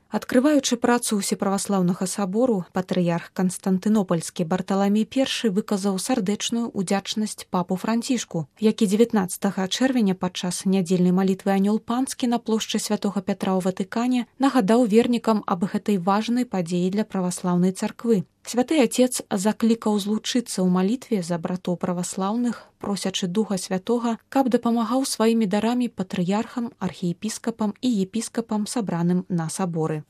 Адкрываючы працу ўсеправаслаўнага сабору, патрыярх Канстантынопольскі Барталамей I выказаў сардэчную ўдзячнасць папу Францішку, які 19 чэрвеня падчас нядзельнай малітвы Анёл Панскі на плошчы святога Пятра ў Ватыкане нагадаў вернікам аб гэтай важнай падзеі для праваслаўнай царквы. Святы Отец заклікаў злучыцца ў малітве за братоў праваслаўных, просячы Духа Святога, каб дапамагаў сваімі дарамі патрыярхам, архіепіскапам і епіскапам, сабраным на саборы.